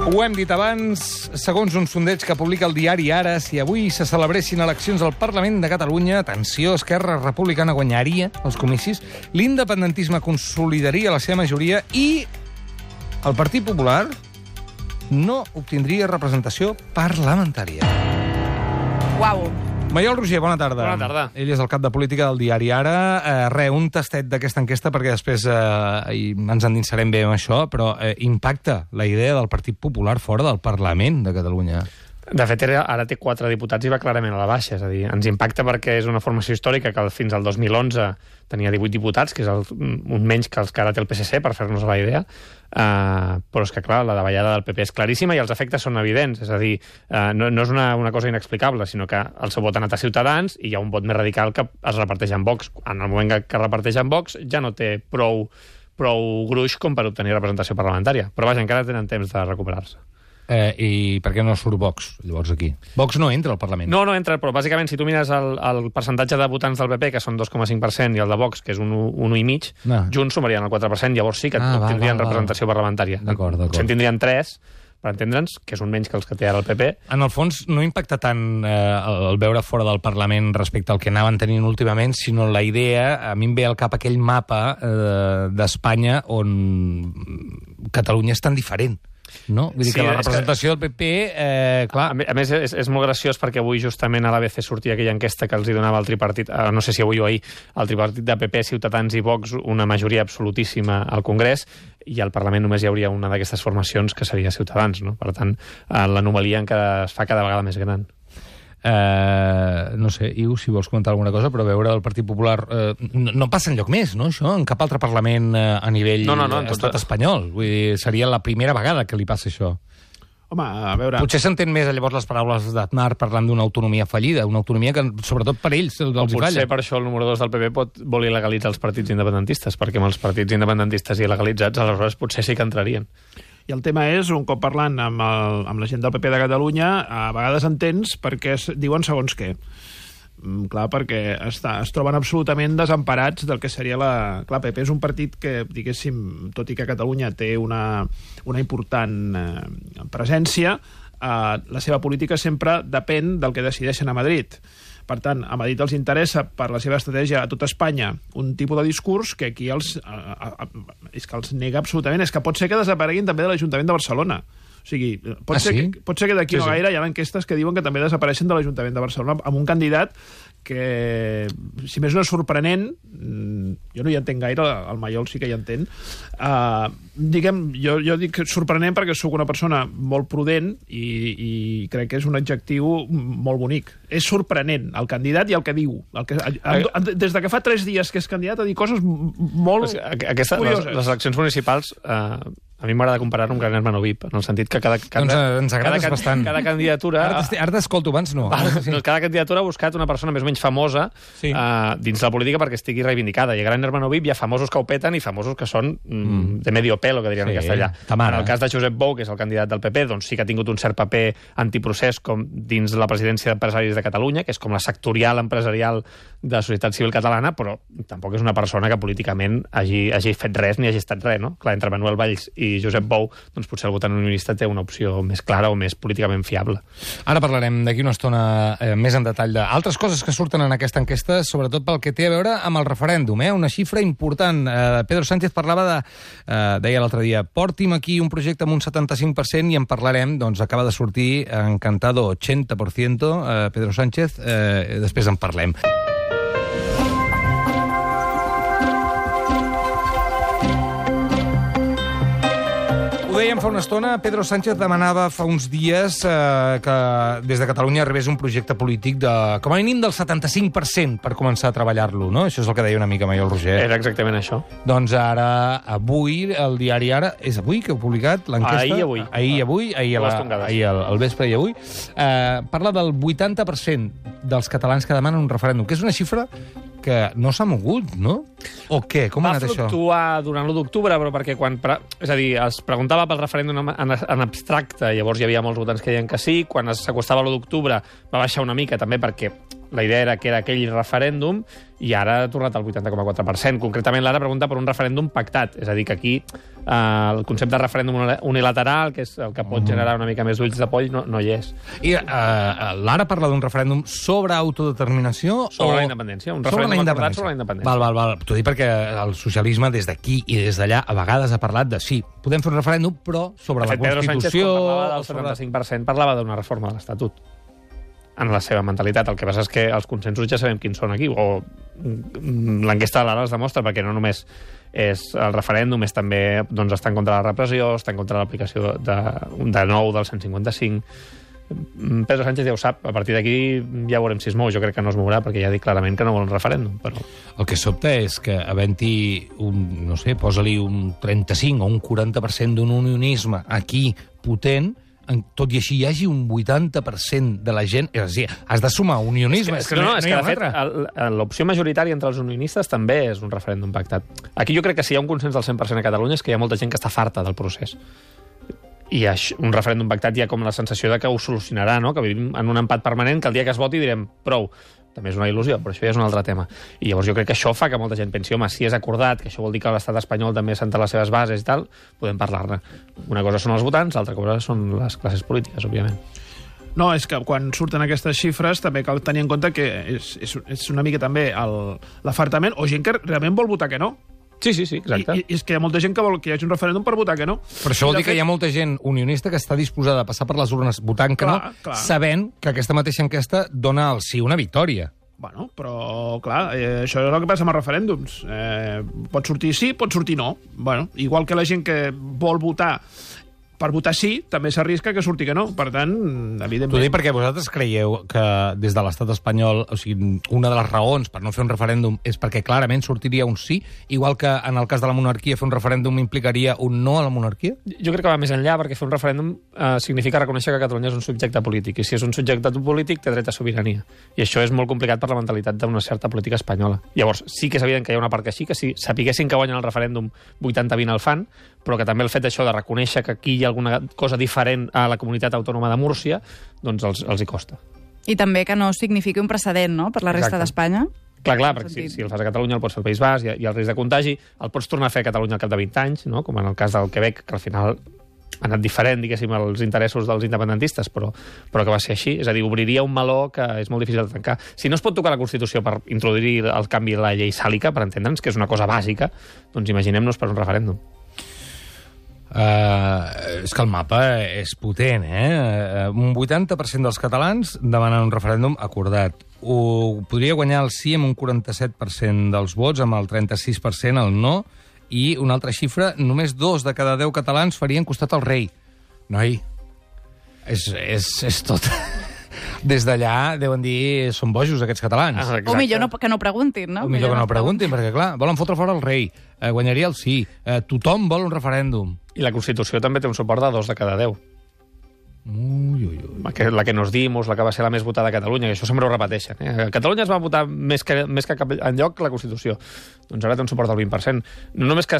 Ho hem dit abans, segons un sondeig que publica el diari Ara, si avui se celebressin eleccions al Parlament de Catalunya, atenció, Esquerra Republicana guanyaria els comicis, l'independentisme consolidaria la seva majoria i el Partit Popular no obtindria representació parlamentària. Uau! Maiol Roger, bona tarda. Bona tarda. Ell és el cap de política del diari Ara. Un tastet d'aquesta enquesta, perquè després ens endinsarem bé amb això, però impacta la idea del Partit Popular fora del Parlament de Catalunya. De fet, ara té 4 diputats i va clarament a la baixa. És a dir, ens impacta perquè és una formació històrica que fins al 2011 tenia 18 diputats, que és un menys que els que ara té el PSC, per fer-nos la idea. Però és que, clar, la davallada del PP és claríssima i els efectes són evidents. És a dir, no és una cosa inexplicable, sinó que el seu vot ha anat a Ciutadans i hi ha un vot més radical que es reparteix en Vox. En el moment que es reparteix en Vox ja no té prou gruix com per obtenir representació parlamentària. Però vaja, encara tenen temps de recuperar-se. I per què no surt Vox, llavors, aquí? Vox no entra al Parlament. No entra, però bàsicament, si tu mires el percentatge de votants del PP, que són 2,5%, i el de Vox, que és un 1,5%, junts sumarien el 4%, llavors sí que tindrien representació parlamentària. D'acord. Potser en tindrien 3, per entendre'ns, que és un menys que els que té ara el PP. En el fons, no impacta tant el veure fora del Parlament respecte al que anaven tenint últimament, sinó la idea, a mi em ve al cap aquell mapa d'Espanya on Catalunya és tan diferent. No? Vull dir que la representació del PP, clar... A més, és molt graciós perquè avui justament a l'ABC sortia aquella enquesta que els hi donava el tripartit, no sé si avui o ahir, el tripartit de PP, Ciutadans i Vox, una majoria absolutíssima al Congrés, i al Parlament només hi hauria una d'aquestes formacions que seria Ciutadans, no? Per tant, l'anomalia encara es fa cada vegada més gran. No sé, Iu, si vols comentar alguna cosa, però veure el Partit Popular no passa enlloc més, no, això? En cap altre Parlament a nivell estat espanyol. Vull dir, seria la primera vegada que li passa això. Home, a veure... Potser s'entén més llavors les paraules d'Aznar parlant d'una autonomia fallida, una autonomia que, sobretot per ells, els hi falla. Potser per això el número 2 del PP pot voler legalitzar els partits independentistes, perquè amb els partits independentistes il·legalitzats, aleshores potser sí que entrarien. I el tema és, un cop parlant amb la gent del PP de Catalunya, a vegades entens perquè diuen segons què. Clar, perquè es troben absolutament desemparats del que seria la... Clar, PP és un partit que, diguéssim, tot i que Catalunya té una important presència, la seva política sempre depèn del que decideixen a Madrid. Per tant, a Madrid els interessa, per la seva estratègia a tot Espanya, un tipus de discurs que aquí és que els nega absolutament. És que pot ser que desapareguin també de l'Ajuntament de Barcelona. O sigui, pot ser que d'aquí no gaire hi ha enquestes que diuen que també desapareixen de l'Ajuntament de Barcelona amb un candidat que, si més no és sorprenent, jo no hi entenc gaire, el Maiol sí que hi entén, jo dic sorprenent perquè sóc una persona molt prudent i crec que és un adjectiu molt bonic. És sorprenent el candidat i el que diu. Des de que fa 3 dies que és candidat a dir coses molt curioses. Les eleccions municipals... A mi m'agrada comparar-ho amb Gran Hermano VIP, en el sentit que ens agrades bastant. Cada candidatura... Ara t'escolto, abans no. Cada candidatura ha buscat una persona més o menys famosa dins la política perquè estigui reivindicada. I a Gran Hermano VIP hi ha famosos que ho peten i famosos que són de medio pelo, que dirien en castellà. En el cas de Josep Bou, que és el candidat del PP, doncs sí que ha tingut un cert paper antiprocés com dins la presidència d'Empresaris de Catalunya, que és com la sectorial empresarial de la societat civil catalana, però tampoc és una persona que políticament hagi fet res ni hagi estat res, no? Clar, entre Manuel Valls i Josep Bou, doncs potser el votant unionista té una opció més clara o més políticament fiable. Ara parlarem d'aquí una estona més en detall d'altres coses que surten en aquesta enquesta, sobretot pel que té a veure amb el referèndum, una xifra important. Pedro Sánchez parlava deia l'altre dia, porti'm aquí un projecte amb un 75% i en parlarem, doncs acaba de sortir encantado 80%, Pedro Sánchez, després en parlem. Dèiem fa una estona, Pedro Sánchez demanava fa uns dies que des de Catalunya arribés un projecte polític de, com a mínim del 75% per començar a treballar-lo, no? Això és el que deia una mica Maiol Roger. Era exactament això. Doncs ara, avui, el diari Ara... És avui que heu publicat l'enquesta? Ahir al vespre i avui. Parla del 80% dels catalans que demanen un referèndum, que és una xifra que no s'ha mogut, no? O què? Com ha anat això? Va fluctuar durant l'1 d'octubre, però perquè és a dir, es preguntava pel referèndum en abstracte, llavors hi havia molts votants que deien que sí, quan s'acostava l'1 d'octubre va baixar una mica també perquè la idea era que era aquell referèndum i ara ha tornat al 80,4%. Concretament, l'ara pregunta per un referèndum pactat. És a dir, que aquí el concepte de referèndum unilateral, que és el que pot generar una mica més ulls de poll, no hi és. I l'ara parla d'un referèndum sobre autodeterminació? Sobre la independència. Un referèndum acordat sobre la independència. Val. T'ho dic perquè el socialisme des d'aquí i des d'allà a vegades ha parlat de sí, podem fer un referèndum, però sobre la Constitució... Pedro Sánchez, quan parlava del 75%, parlava d'una reforma de l'Estatut en la seva mentalitat. El que passa és que els consensos ja sabem quins són aquí, o l'enquesta de l'ara els demostra, perquè no només és el referèndum, és també estar en contra de la repressió, estar en contra de l'aplicació de nou del 155. Pedro Sánchez ja ho sap, a partir d'aquí ja veurem si es mou. Jo crec que no es mourà, perquè ja ha dit clarament que no vol un referèndum. Però... El que sobta és que havent-hi no sé, posa-li un 35 o un 40% d'un unionisme aquí potent, tot i així hi hagi un 80% de la gent... És a dir, has de sumar unionisme. És que de fet, l'opció majoritària entre els unionistes també és un referèndum pactat. Aquí jo crec que si hi ha un consens del 100% a Catalunya és que hi ha molta gent que està farta del procés. I un referèndum pactat hi ha com la sensació de que ho solucionarà, no? Que vivim en un empat permanent, que el dia que es voti direm prou. També és una il·lusió, però això ja és un altre tema. I llavors jo crec que això fa que molta gent pensi, home, si és acordat, que això vol dir que l'estat espanyol també assenta les seves bases i tal, podem parlar-ne. Una cosa són els votants, l'altra cosa són les classes polítiques, òbviament. No, és que quan surten aquestes xifres també cal tenir en compte que és una mica també l'afartament, o gent que realment vol votar que no. Sí, exacte. I és que hi ha molta gent que vol que hi hagi un referèndum per votar que no. Però això vol dir que hi ha molta gent unionista que està disposada a passar per les urnes votant que no, sabent que aquesta mateixa enquesta dona al sí una victòria. Bueno, però, clar, això és el que passa amb els referèndums. Pot sortir sí, pot sortir no. Bueno, igual que la gent que vol votar per votar sí, també s'arrisca que surti que no. Per tant, evidentment... T'ho dic perquè vosaltres creieu que des de l'estat espanyol, o sigui, una de les raons per no fer un referèndum és perquè clarament sortiria un sí, igual que en el cas de la monarquia fer un referèndum implicaria un no a la monarquia? Jo crec que va més enllà, perquè fer un referèndum significa reconèixer que Catalunya és un subjecte polític, i si és un subjecte polític té dret a sobirania. I això és molt complicat per la mentalitat d'una certa política espanyola. Llavors, sí que és evident que hi ha una part que sí, que si sapiguessin que guanyen el referèndum 80-20 el fan, però que també el fet d'això de reconèixer que aquí hi ha alguna cosa diferent a la comunitat autònoma de Múrcia, doncs els hi costa. I també que no signifiqui un precedent, no?, per la resta d'Espanya. Clar, perquè si el fas a Catalunya el pots fer al País Basc, hi ha el risc de contagi, el pots tornar a fer a Catalunya al cap de 20 anys, no?, com en el cas del Quebec, que al final ha anat diferent, diguéssim, als interessos dels independentistes, però que va ser així. És a dir, obriria un meló que és molt difícil de tancar. Si no es pot tocar la Constitució per introduir el canvi de la llei sàlica, per entendre'ns, que és una cosa bàsica, doncs imaginem-nos per un referèndum. És que el mapa és potent, Un 80% dels catalans demanen un referèndum acordat. Ho podria guanyar el sí amb un 47% dels vots, amb el 36% el no, i una altra xifra, només 2 de cada 10 catalans farien costat al rei. Noi, és tot... Des d'allà deuen dir són bojos aquests catalans. O millor que no preguntin, no? O millor que no preguntin, perquè clar, volen fotre fora el rei, guanyaria el sí, tothom vol un referèndum. I la Constitució també té un suport de 2 de cada 10. La que nos dimos, la que va ser la més votada a Catalunya, que això sempre ho repeteixen. A Catalunya es va votar més que cap enlloc la Constitució. Doncs ara té un suport del 20%. No només que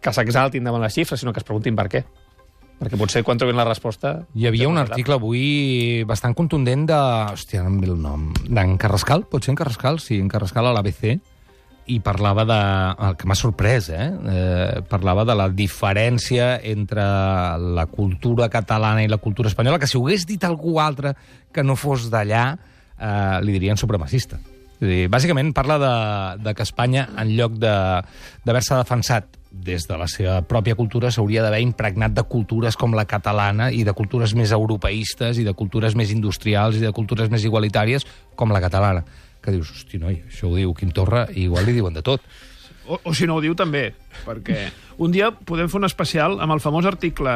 s'exaltin davant les xifres, sinó que es preguntin per què. Perquè potser quan trobin la resposta... Hi havia un article avui bastant contundent de... Hòstia, no em ve el nom. D'en Carrascal? Pot ser en Carrascal? Sí, en Carrascal a l'ABC. I parlava de... El que m'ha sorprès, parlava de la diferència entre la cultura catalana i la cultura espanyola, que si ho hagués dit algú altre que no fos d'allà, li dirien supremacista. És a dir, bàsicament parla de que Espanya, en lloc d'haver-se defensat des de la seva pròpia cultura, s'hauria d'haver impregnat de cultures com la catalana i de cultures més europeistes i de cultures més industrials i de cultures més igualitàries com la catalana. Que dius, hosti, noi, això ho diu Quim Torra i igual li diuen de tot. O si no ho diu també, perquè un dia podem fer un especial amb el famós article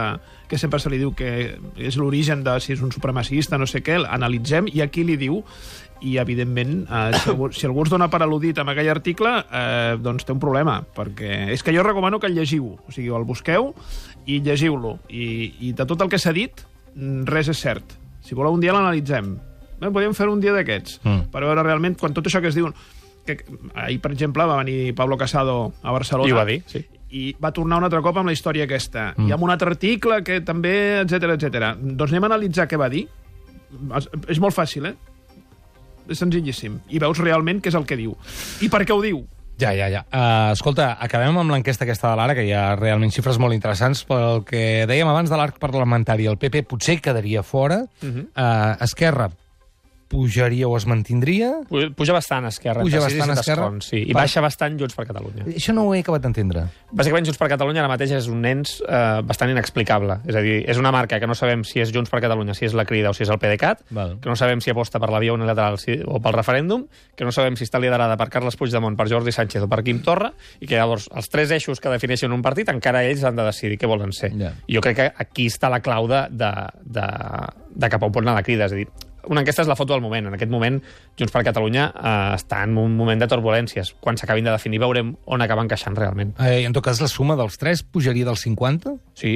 que sempre se li diu que és l'origen de si és un supremacista, no sé què, l'analitzem i aquí li diu, i evidentment si algú es dona per al·ludit amb aquell article, doncs té un problema, perquè és que jo recomano que el llegiu, o sigui, el busqueu i llegiu-lo, i de tot el que s'ha dit res és cert. Si voleu un dia l'analitzem, podríem fer un dia d'aquests per veure realment quan tot això que es diu... Ahir, per exemple, va venir Pablo Casado a Barcelona. I ho va dir, sí. I va tornar un altre cop amb la història aquesta. I amb un altre article que també, etc etc. Doncs anem a analitzar què va dir. És molt fàcil, És senzillíssim. I veus realment què és el que diu. I per què ho diu? Ja. Escolta, acabem amb l'enquesta aquesta de l'Ara, que hi ha realment xifres molt interessants. Pel que dèiem abans de l'arc parlamentari, el PP potser quedaria fora, Esquerra pujaria o es mantindria? Puja bastant Esquerra. Puja bastant Esquerra? Sí. I baixa bastant Junts per Catalunya. Això no ho he acabat d'entendre. Bàsicament, Junts per Catalunya ara mateix és un ens bastant inexplicable. És a dir, és una marca que no sabem si és Junts per Catalunya, si és la Crida o si és el PDeCAT, que no sabem si aposta per la via unilateral o pel referèndum, que no sabem si està liderada per Carles Puigdemont, per Jordi Sánchez o per Quim Torra, i que llavors els tres eixos que defineixen un partit encara ells han de decidir què volen ser. Jo crec que aquí està la clau de cap a on pot anar la Crida. És a dir, una enquesta és la foto del moment. En aquest moment, Junts per Catalunya està en un moment de turbulències. Quan s'acabin de definir veurem on acaba encaixant realment. En tot cas, la suma dels tres pujaria del 50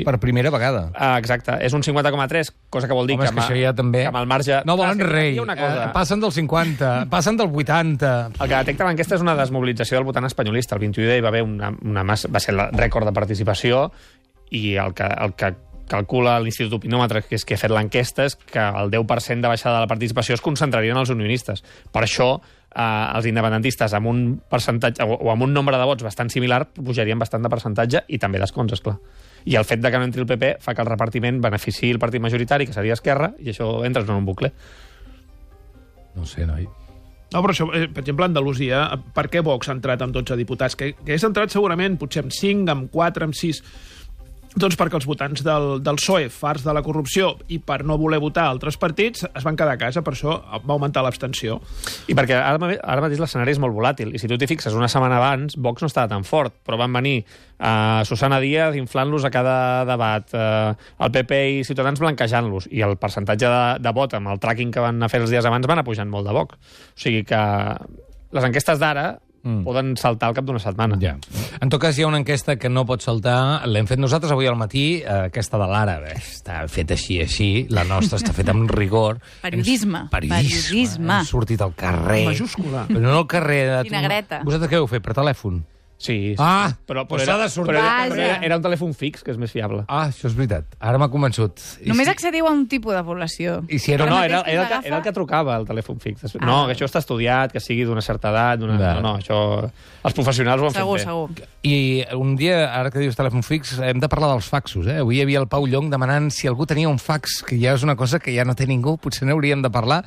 per primera vegada. Exacte. És un 50,3, cosa que vol dir que això ja també... amb el marge... No volen rei. Passen del 50, passen del 80... El que detecta l'enquesta és una desmobilització del votant espanyolista. El 21 hi va haver una massa... Va ser el rècord de participació i el que calcula l'Institut Opinòmetre, que és que ha fet l'enquesta, és que el 10% de baixada de la participació es concentraria en els unionistes. Per això, els independentistes amb un percentatge o amb un nombre de vots bastant similar pujarien bastant de percentatge i també d'escons, esclar. I el fet de que no entri el PP fa que el repartiment beneficiï el partit majoritari, que seria Esquerra, i això entres en un bucle. No sé, noi. No, però això, per exemple, a Andalusia, per què Vox ha entrat amb 12 diputats? Que hagués entrat segurament, potser amb 5, amb 4, amb 6... Doncs perquè els votants del PSOE, farts de la corrupció i per no voler votar altres partits, es van quedar a casa, per això va augmentar l'abstenció. I perquè ara mateix l'escenari és molt volàtil, i si tu t'hi fixes, una setmana abans, Vox no estava tan fort, però van venir Susana Díaz inflant-los a cada debat, el PP i Ciutadans blanquejant-los, i el percentatge de vot amb el tracking que van fer els dies abans van anar pujant molt de Vox. O sigui que les enquestes d'ara poden saltar al cap d'una setmana. Ja. En tot cas, hi ha una enquesta que no pot saltar. L'hem fet nosaltres avui al matí, aquesta de l'Ara. Està feta així. La nostra està feta amb rigor. Periodisme. Hem sortit al carrer. Majúscula. Però no al carrer. Vinagreta. Vosaltres què heu fet? Per telèfon? Sí. Però s'ha de sortir. Era un telèfon fix, que és més fiable. Això és veritat. Ara m'ha convençut. Només accediu a un tipus de població. I si era... No, era el que trucava, el telèfon fix. No, que això està estudiat, que sigui d'una certa edat... No, això... Els professionals ho han fet bé. Segur. I un dia, ara que dius telèfon fix, hem de parlar dels faxos. Avui hi havia el Pau Llong demanant si algú tenia un fax, que ja és una cosa que ja no té ningú, potser n'hauríem de parlar.